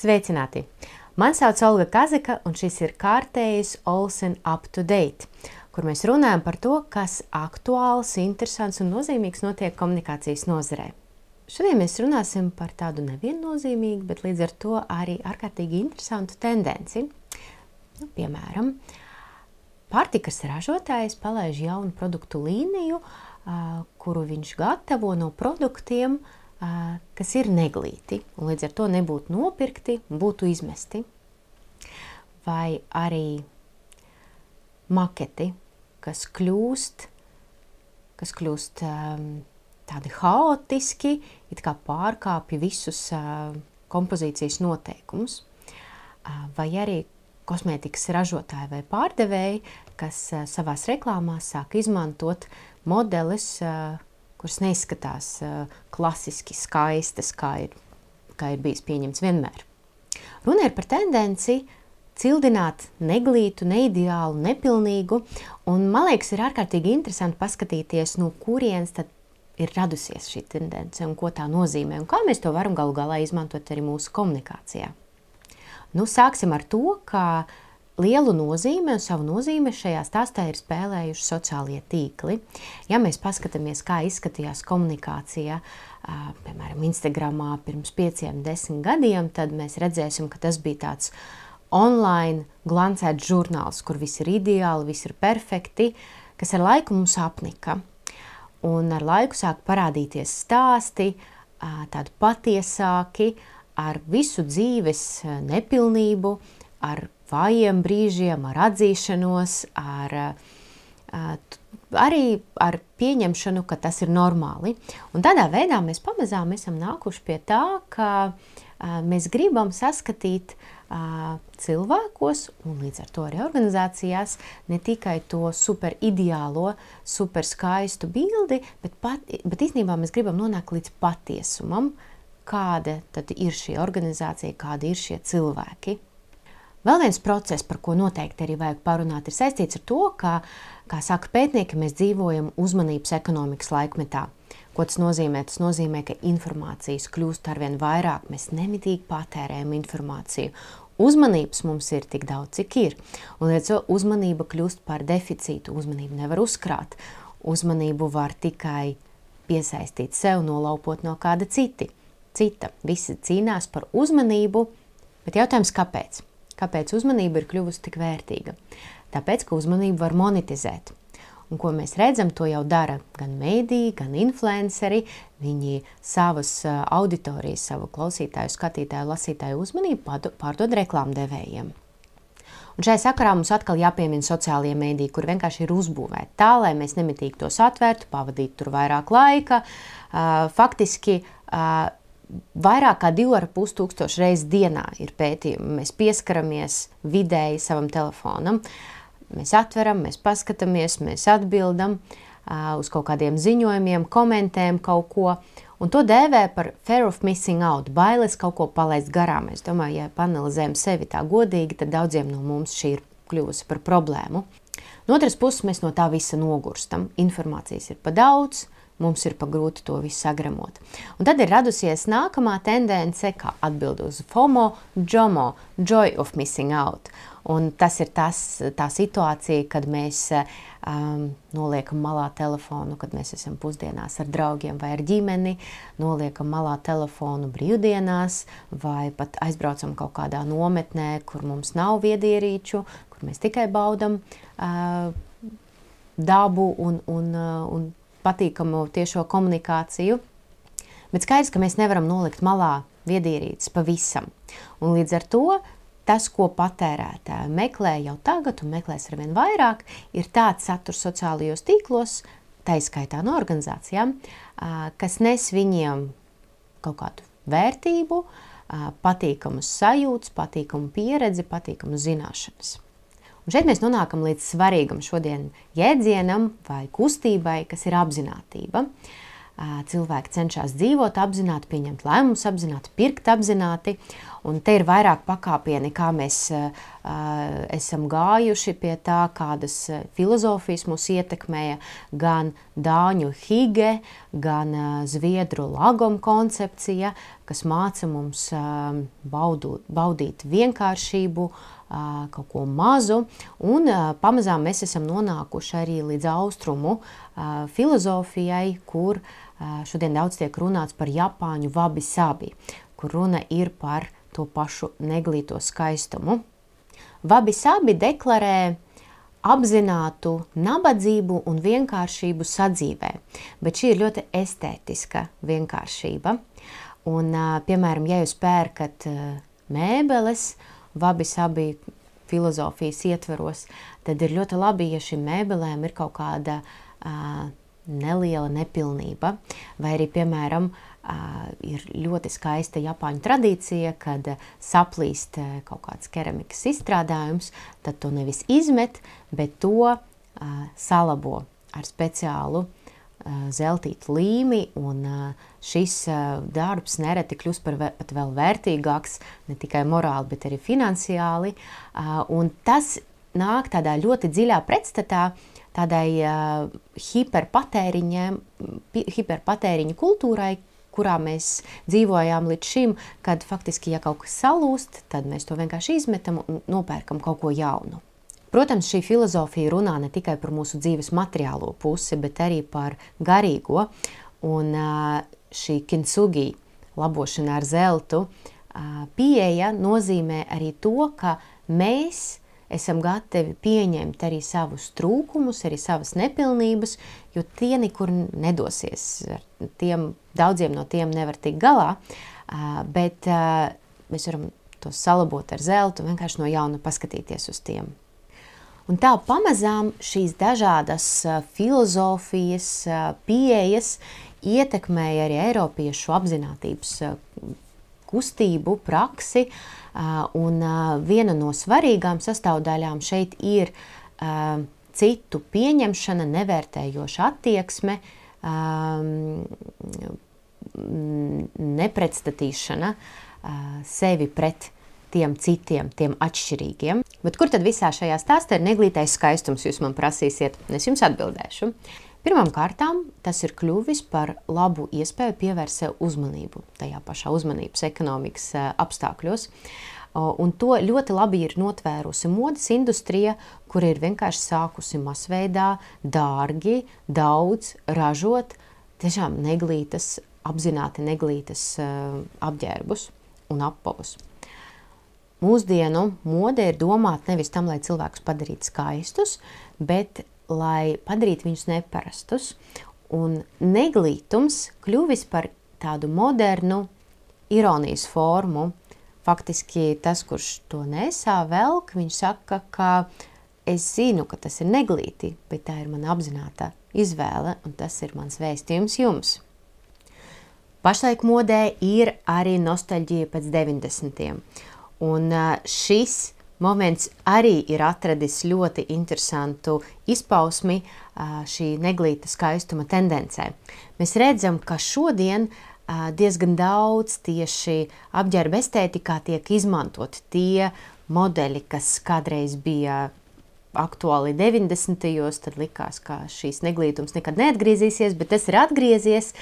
Sveicināti! Mani sauc Olga Kazika, un šis ir kārtējs Olsen Up to Date, kur mēs runājam par to, kas aktuāls, interesants un nozīmīgs notiek komunikācijas nozarē. Šodien mēs runāsim par tādu neviennozīmīgu, bet līdz ar to arī ārkārtīgi interesantu tendenci. Piemēram, pārtikas ražotājs palaiž jaunu produktu līniju, kuru viņš gatavo no produktiem, kas ir neglīti, un līdz ar to nebūtu nopirkti un būtu izmesti. Vai arī maketi, kas kļūst tādi haotiski, it kā pārkāpja visus kompozīcijas noteikumus. Vai arī kosmētikas ražotāji vai pārdevēji, kas savās reklāmās sāk izmantot modeles, kuras neizskatās klasiski skaistas, kā ir bijis pieņemts vienmēr. Runa ir par tendenci cildināt neglītu, neideālu, nepilnīgu, un man liekas, ir ārkārtīgi interesanti paskatīties, no kurienes tad ir radusies šī tendence un ko tā nozīmē, un kā mēs to varam galu galā izmantot arī mūsu komunikācijā. Sāksim ar to, ka lielu nozīmi un savu nozīmi šajā stāstā ir spēlējuši sociālie tīkli. Ja mēs paskatāmies, kā izskatījās komunikācija, piemēram, Instagramā pirms 5-10 gadiem, tad mēs redzēsim, ka tas bija tāds online glancēts žurnāls, kur viss ir ideāli, viss ir perfekti, kas ar laiku mums apnika. Un ar laiku sāk parādīties stāsti, tādi patiesāki, ar visu dzīves nepilnību, ar vājiem brīžiem, ar atzīšanos, arī ar pieņemšanu, ka tas ir normāli. Un tādā veidā mēs pamazām esam nākuši pie tā, ka mēs gribam saskatīt cilvēkos un līdz ar to arī organizācijās ne tikai to super ideālo, super skaistu bildi, bet īstenībā mēs gribam nonākt līdz patiesumam, kāda tad ir šī organizācija, kādi ir šie cilvēki. Vēl viens process, par ko noteikti arī vajag parunāt, ir saistīts ar to, ka, kā saka pētnieki, mēs dzīvojam uzmanības ekonomikas laikmetā. Ko tas nozīmē? Tas nozīmē, ka informācijas kļūst arvien vairāk, mēs nemitīgi patērējam informāciju. Uzmanības mums ir tik daudz, cik ir. Un līdz to uzmanība kļūst par deficītu, uzmanību nevar uzkrāt. Uzmanību var tikai piesaistīt sev, nolaupot no kāda cita. Visi cīnās par uzmanību, bet jautājums kāpēc? Kāpēc uzmanība ir kļuvusi tik vērtīga? Tāpēc, ka uzmanību var monetizēt. Un ko mēs redzam, to jau dara gan mēdīji, gan influenceri. Viņi savas auditorijas, savu klausītāju, skatītāju, lasītāju uzmanību pārdod reklāmdevējiem. Un šajā sakarā mums atkal jāpiemina sociālie mēdīji, kur vienkārši ir uzbūvēti tā, lai mēs nemitīgi tos atvērtu, pavadītu tur vairāk laika. Faktiski vairāk kā 2500 reizes dienā ir pētījumi. Mēs pieskaramies vidēji savam telefonam. Mēs atveram, mēs paskatāmies, mēs atbildam uz kaut kādiem ziņojumiem, komentējam kaut ko. Un to dēvē par fear of missing out, bailes kaut ko palaist garām. Es domāju, ja panalizējam sevi tā godīgi, tad daudziem no mums šī ir kļuvusi par problēmu. No otras puses mēs no tā visa nogurstam. Informācijas ir pa daudz. Mums ir pa grūti to visu sagremot. Un tad ir radusies nākamā tendence, kā atbild uz FOMO, JOMO, joy of missing out. Un tas ir tā situācija, kad mēs noliekam malā telefonu, kad mēs esam pusdienās ar draugiem vai ar ģimeni, noliekam malā telefonu brīvdienās vai pat aizbraucam kaut kādā nometnē, kur mums nav viedierīču, kur mēs tikai baudam dabu un patīkamu tiešo komunikāciju, bet skaidrs, ka mēs nevaram nolikt malā viedierīces pavisam. Un līdz ar to tas, ko patērētāji meklē jau tagad un meklēs arvien vairāk, ir tāds saturs sociālajos tīklos, tā izskaitā no organizācijām, kas nes viņiem kaut kādu vērtību, patīkamus sajūtas, patīkamu pieredzi, patīkamu zināšanas. Un šeit mēs nonākam līdz svarīgam šodien jēdzienam vai kustībai, kas ir apzinātība. Cilvēki cenšas dzīvot apzināti, pieņemt lēmumus apzināti, pirkt apzināti. Un te ir vairāk pakāpieni, kā mēs esam gājuši pie tā, kādas filozofijas mūs ietekmēja, gan dāņu hige, gan zviedru lagom koncepcija, kas māca mums baudīt vienkāršību, kaut ko mazu, un pamazām mēs esam nonākuši arī līdz austrumu filozofijai, kur šodien daudz tiek runāts par japāņu wabi-sabi, kur runa ir par to pašu neglīto skaistumu. Wabi-sabi deklarē apzinātu nabadzību un vienkāršību sadzīvē, bet šī ir ļoti estētiska vienkāršība. Un, piemēram, ja jūs pērkat mēbeles, wabi-sabi filozofijas ietveros, tad ir ļoti labi, ja šīm mēbelēm ir kaut kāda neliela nepilnība. Vai arī, piemēram, ir ļoti skaista japāņu tradīcija, kad saplīst kaut kāds keramikas izstrādājums, tad to nevis izmet, bet to salabo ar speciālu zeltītu līmi, un šis darbs nereti kļūst pat vēl vērtīgāks, ne tikai morāli, bet arī finansiāli. Un tas nāk tādā ļoti dziļā pretstatā tādai hiperpatēriņa kultūrai, kurā mēs dzīvojām līdz šim, kad faktiski, ja kaut kas salūst, tad mēs to vienkārši izmetam un nopērkam kaut ko jaunu. Protams, šī filozofija runā ne tikai par mūsu dzīves materiālo pusi, bet arī par garīgo. Un šī kintsugi, labošana ar zeltu, pieeja nozīmē arī to, ka mēs esam gatavi pieņemt arī savus trūkumus, arī savas nepilnības, jo tie nekur nedosies. Daudziem no tiem nevar tikt galā, bet mēs varam tos salabot ar zeltu, vienkārši no jauna paskatīties uz tiem. Un tā pamazām šīs dažādas filozofijas, pieejas ietekmēja arī eiropiešu apzinātības kustību, praksi, un viena no svarīgām sastāvdaļām šeit ir citu pieņemšana, nevērtējoša attieksme, nepretstatīšana sevi pret tiem citiem, tiem atšķirīgiem. Bet kur tad visā šajā stāstā ir neglītais skaistums, jūs man prasīsiet? Es jums atbildēšu. Pirmām kārtām tas ir kļuvis par labu iespēju pievērst sev uzmanību tajā pašā uzmanības ekonomikas apstākļos. Un to ļoti labi ir notvērusi modes industrija, kur ir vienkārši sākusi masveidā, dārgi, daudz ražot tiešām neglītas, apzināti neglītas apģērbus un apavus. Mūsdienu mode ir domāta nevis tam, lai cilvēkus padarītu skaistus, bet lai padarītu viņus neparastus. Un neglītums kļuvis par tādu modernu ironijas formu. Faktiski tas, kurš to nesā velk, viņš saka, ka es zinu, ka tas ir neglīti, bet tā ir mana apzināta izvēle, un tas ir mans vēstījums jums. Pašlaik modē ir arī nostalģija pēc 90. Un šis moments arī ir atradis ļoti interesantu izpausmi šī neglīta skaistuma tendencē. Mēs redzam, ka šodien diezgan daudz tieši apģērba estētikā tiek izmantot tie modeļi, kas kādreiz bija aktuāli 90. Tad likās, ka šīs neglītums nekad neatgriezīsies, bet tas ir atgriezies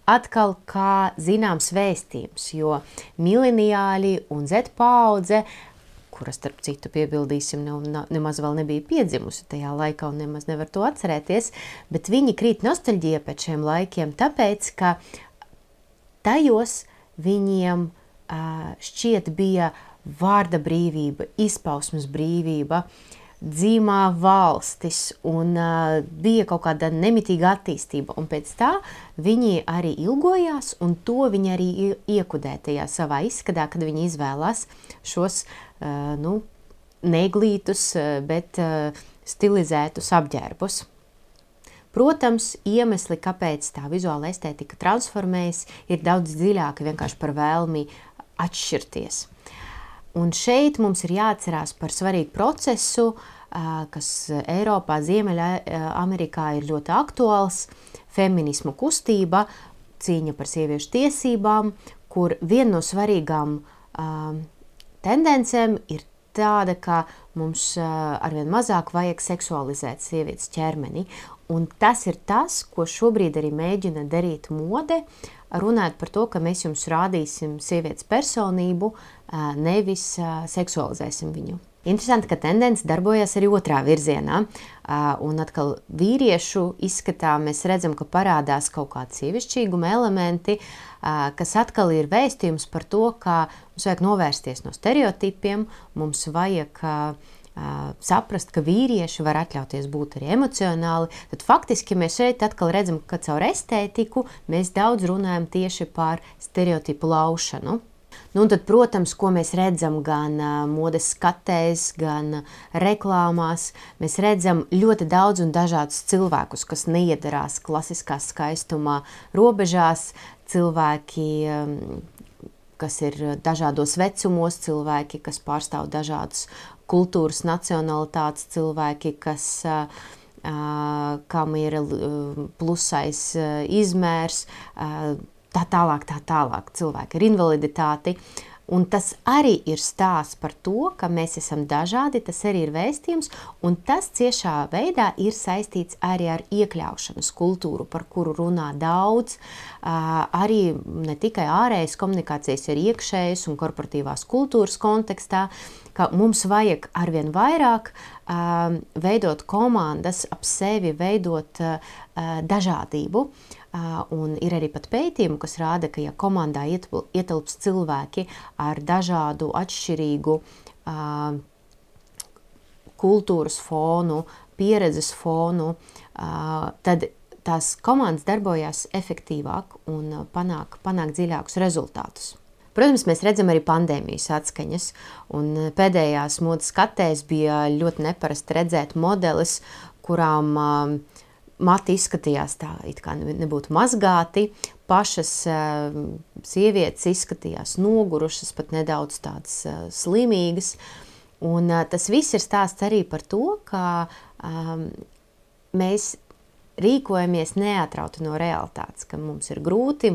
atkal kā zināms vēstījums, jo mileniāļi un Z paudze, kura starp citu piebildīsim, nemaz vēl nebija piedzimusi tajā laikā un nemaz nevar to atcerēties, bet viņi krīt nostalģija pēc šiem laikiem, tāpēc, ka tajos viņiem šķiet bija vārda brīvība, izpausmes brīvība, dzīmā valstis un bija kaut kāda nemitīga attīstība. Un pēc tā viņi arī ilgojās un to viņi arī iekudē tajā savā izskatā, kad viņi izvēlās šos neglītus, bet stilizētus apģērbus. Protams, iemesli, kāpēc tā vizuāla estētika transformējas, ir daudz dziļāki vienkārši par vēlmi atšķirties. Un šeit mums ir jāatcerās par svarīgu procesu, kas Eiropā, Ziemeļamerikā ir ļoti aktuāls, feminismu kustība, cīņa par sieviešu tiesībām, kur viena no svarīgām tendencēm ir tāda, ka mums arvien mazāk vajag seksualizēt sievietes ķermeni. Un tas ir tas, ko šobrīd arī mēģina darīt mode, runājot par to, ka mēs jums rādīsim sievietes personību, nevis seksualizēsim viņu. Interesanti, ka tendence darbojas arī otrā virzienā, un atkal vīriešu izskatā mēs redzam, ka parādās kaut kādi sievišķīguma elementi, kas atkal ir vēstījums par to, ka mums vajag novērsties no stereotipiem, mums vajag saprast, ka vīrieši var atļauties būt arī emocionāli, tad faktiski mēs šeit atkal redzam, ka caur estētiku mēs daudz runājam tieši par stereotipu laušanu. Nu, un tad, protams, ko mēs redzam gan modes skatēs, gan reklāmās, mēs redzam ļoti daudz un dažādus cilvēkus, kas neiedarās klasiskā skaistumā robežās, cilvēki, kas ir dažādos vecumos, cilvēki, kas pārstāv dažādas kultūras, nacionalitātes, cilvēki, kas kam ir plusais izmērs, tā tālāk cilvēki ar invaliditāti. Un tas arī ir stāsts par to, ka mēs esam dažādi, tas arī ir vēstījums, un tas ciešā veidā ir saistīts arī ar iekļaušanas kultūru, par kuru runā daudz, arī ne tikai ārējas komunikācijas, ir iekšējas un korporatīvās kultūras kontekstā, ka mums vajag arvien vairāk veidot komandas ap sevi, veidot dažādību. Un ir arī pat pētījumi, kas rāda, ka ja komandā ietilps cilvēki ar dažādu atšķirīgu kultūras fonu, pieredzes fonu, tad tās komandas darbojās efektīvāk un panāk dziļākus rezultātus. Protams, mēs redzam arī pandēmijas atskaņas, un pēdējās modes skatēs bija ļoti neparasti redzēt modeles, kurām mati izskatījās tā, it kā nebūtu mazgāti, pašas sievietes izskatījās nogurušas, pat nedaudz tādas slimīgas, un tas viss ir stāsts arī par to, ka mēs rīkojamies neatrauti no realitātes, ka mums ir grūti,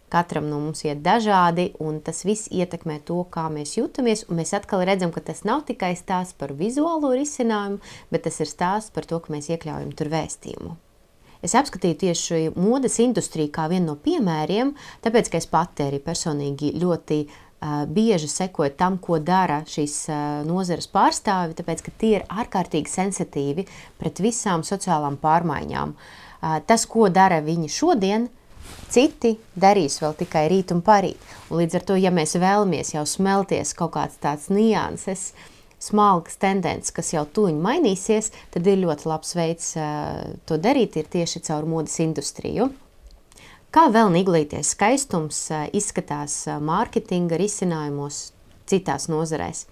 katram no mums iet dažādi, un tas viss ietekmē to, kā mēs jūtamies, un mēs atkal redzam, ka tas nav tikai stāsts par vizuālo risinājumu, bet tas ir stāsts par to, ka mēs iekļaujam tur vēstījumu. Es apskatīju tieši modes industriju kā vienu no piemēriem, tāpēc, ka es pati arī personīgi ļoti bieži sekoju tam, ko dara šīs nozares pārstāvi, tāpēc, ka tie ir ārkārtīgi sensitīvi pret visām sociālām pārmaiņām. Tas, ko dara viņi šodien, citi darīs vēl tikai rīt un parīt. Un līdz ar to, ja mēs vēlamies jau smelties kaut kāds tāds nianses, smalkas tendences, kas jau tuņi mainīsies, tad ir ļoti labs veids to darīt, ir tieši caur modes industriju. Kā vēl niglīties skaistums izskatās mārketinga risinājumos citās nozarēs?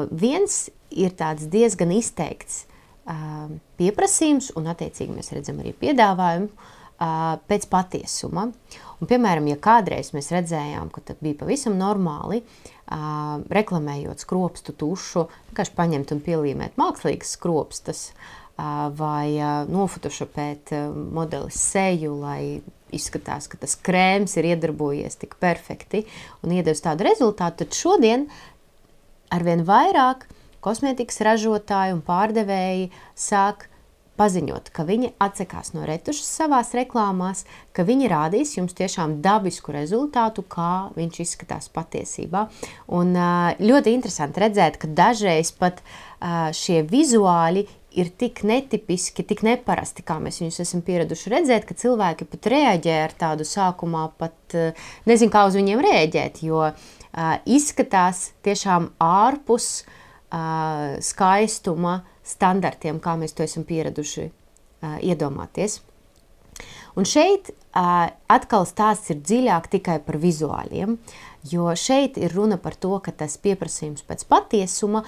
Viens ir tāds diezgan izteikts pieprasījums, un attiecīgi mēs redzam arī piedāvājumu, pēc patiesuma. Un, piemēram, ja kādreiz mēs redzējām, ka tad bija pavisam normāli, reklamējot skropstu tušu, vienkārši paņemt un pielīmēt mākslīgas skropstas, vai nofotošopēt modelis seju, lai izskatās, ka tas krēms ir iedarbojies tik perfekti un iedevis tādu rezultātu, tad šodien arvien vairāk kosmētikas ražotāji un pārdevēji sāk paziņot, ka viņi atsakās no retušas savās reklāmās, ka viņi rādīs jums tiešām dabisku rezultātu, kā viņš izskatās patiesībā. Un ļoti interesanti redzēt, ka dažreiz pat šie vizuāļi ir tik netipiski, tik neparasti, kā mēs viņus esam pieraduši redzēt, ka cilvēki pat reaģē ar tādu sākumā pat nezinu, kā uz viņiem reaģēt, jo izskatās tiešām ārpus skaistuma standartiem, kā mēs to esam pieraduši iedomāties. Un šeit atkal stāsts ir dziļāk tikai par vizuāļiem, jo šeit ir runa par to, ka tas pieprasījums pēc patiesuma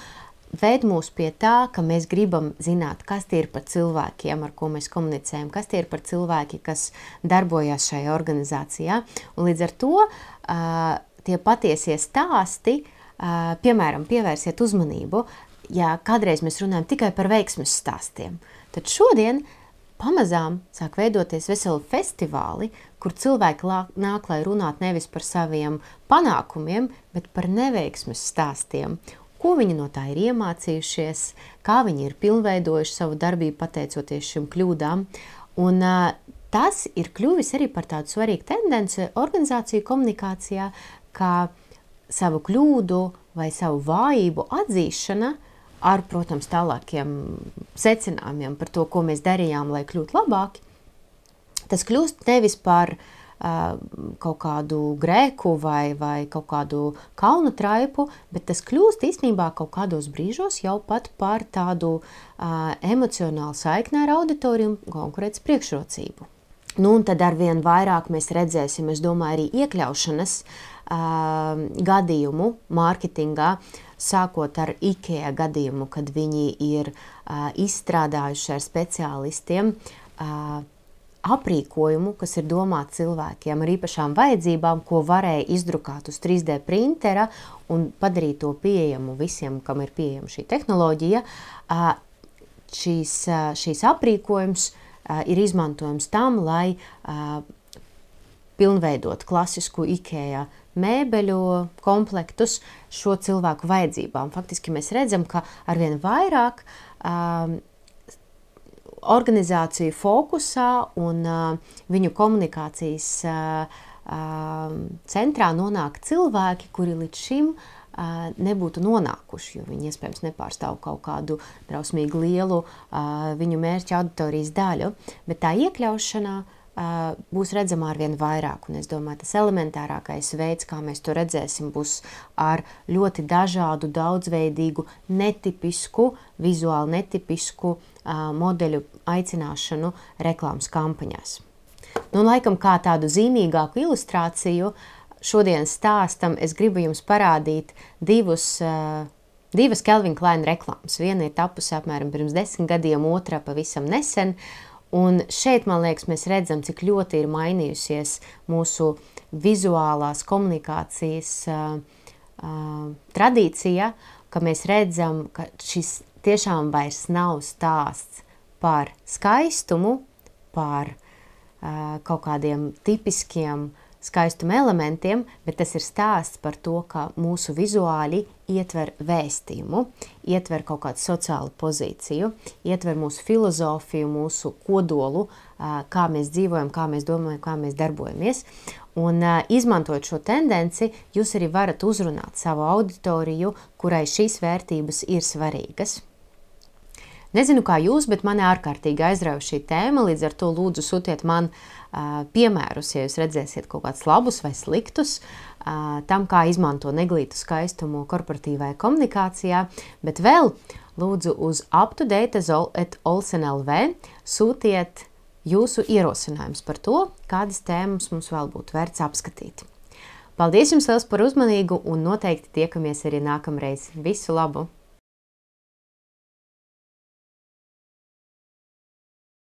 ved mūs pie tā, ka mēs gribam zināt, kas tie ir par cilvēkiem, ar ko mēs komunicējam, kas tie ir par cilvēki, kas darbojas šajā organizācijā. Un līdz ar to tie patiesie stāsti, piemēram, pievērsiet uzmanību, ja kādreiz mēs runājam tikai par veiksmes stāstiem, tad šodien pamazām sāk veidoties veseli festivāli, kur cilvēki nāk, lai runāt nevis par saviem panākumiem, bet par neveiksmes stāstiem. Ko viņi no tā ir iemācījušies, kā viņi ir pilnveidojuši savu darbību pateicoties šim kļūdām. Un tas ir kļuvis arī par tādu svarīgu tendenci organizāciju komunikācijā, kā savu kļūdu vai savu vājību atzīšana ar, protams, tālākiem secinājumiem par to, ko mēs darījām, lai kļūtu labāki. Tas kļūst nevis par kaut kādu grēku vai kaut kādu kaunu traipu, bet tas kļūst īstenībā kaut kādos brīžos jau pat par tādu emocionālu saikni ar auditoriju un konkurences priekšrocību. Nu, un tad arvien vairāk mēs redzēsim, es domāju, arī iekļaušanas gadījumu mārketingā, sākot ar IKEA gadījumu, kad viņi ir izstrādājuši ar speciālistiem aprīkojumu, kas ir domāts cilvēkiem ar īpašām vajadzībām, ko varēja izdrukāt uz 3D printera un padarīt to pieejamu visiem, kam ir pieejama šī tehnoloģija. Šīs aprīkojums ir izmantojams tam, lai pilnveidot klasisku IKEA mēbeļu komplektus šo cilvēku vajadzībām. Faktiski mēs redzam, ka arvien vairāk organizāciju fokusā un viņu komunikācijas centrā nonāk cilvēki, kuri līdz šim nebūtu nonākuši, jo viņi iespējams nepārstāv kaut kādu drausmīgi lielu viņu mērķa auditorijas daļu, bet tā iekļaušanā būs redzama arvien vairāk, un es domāju, tas elementārākais veids, kā mēs to redzēsim, būs ar ļoti dažādu, daudzveidīgu, netipisku, vizuāli netipisku modeļu aicināšanu reklāmas kampaņās. Nu, laikam kā tādu zīmīgāku ilustrāciju šodienas stāstam es gribu jums parādīt divas Calvin Klein reklāmas. Viena ir tapusi apmēram pirms 10 gadiem, otra pavisam nesen. Un šeit, man liekas, mēs redzam, cik ļoti ir mainījusies mūsu vizuālās komunikācijas tradīcija, ka mēs redzam, ka šis tiešām vairs nav stāsts par skaistumu, par kaut kādiem tipiskiem skaistuma elementiem, bet tas ir stāsts par to, ka mūsu vizuāļi ietver vēstījumu, ietver kaut kādu sociālu pozīciju, ietver mūsu filozofiju, mūsu kodolu, kā mēs dzīvojam, kā mēs domājam, kā mēs darbojamies. Un izmantojot šo tendenci, jūs arī varat uzrunāt savu auditoriju, kurai šīs vērtības ir svarīgas. Nezinu, kā jūs, bet mani ārkārtīgi aizrauja šī tēma, līdz ar to lūdzu sūtiet man piemērus, ja jūs redzēsiet kaut kādus labus vai sliktus, tam, kā izmanto neglītu skaistumu korporatīvai komunikācijā, bet vēl lūdzu uz uptodate@olsen.lv sūtiet jūsu ierosinājums par to, kādas tēmas mums vēl būtu vērts apskatīt. Paldies jums liels par uzmanību un noteikti tiekamies arī nākamreiz. Visu labu!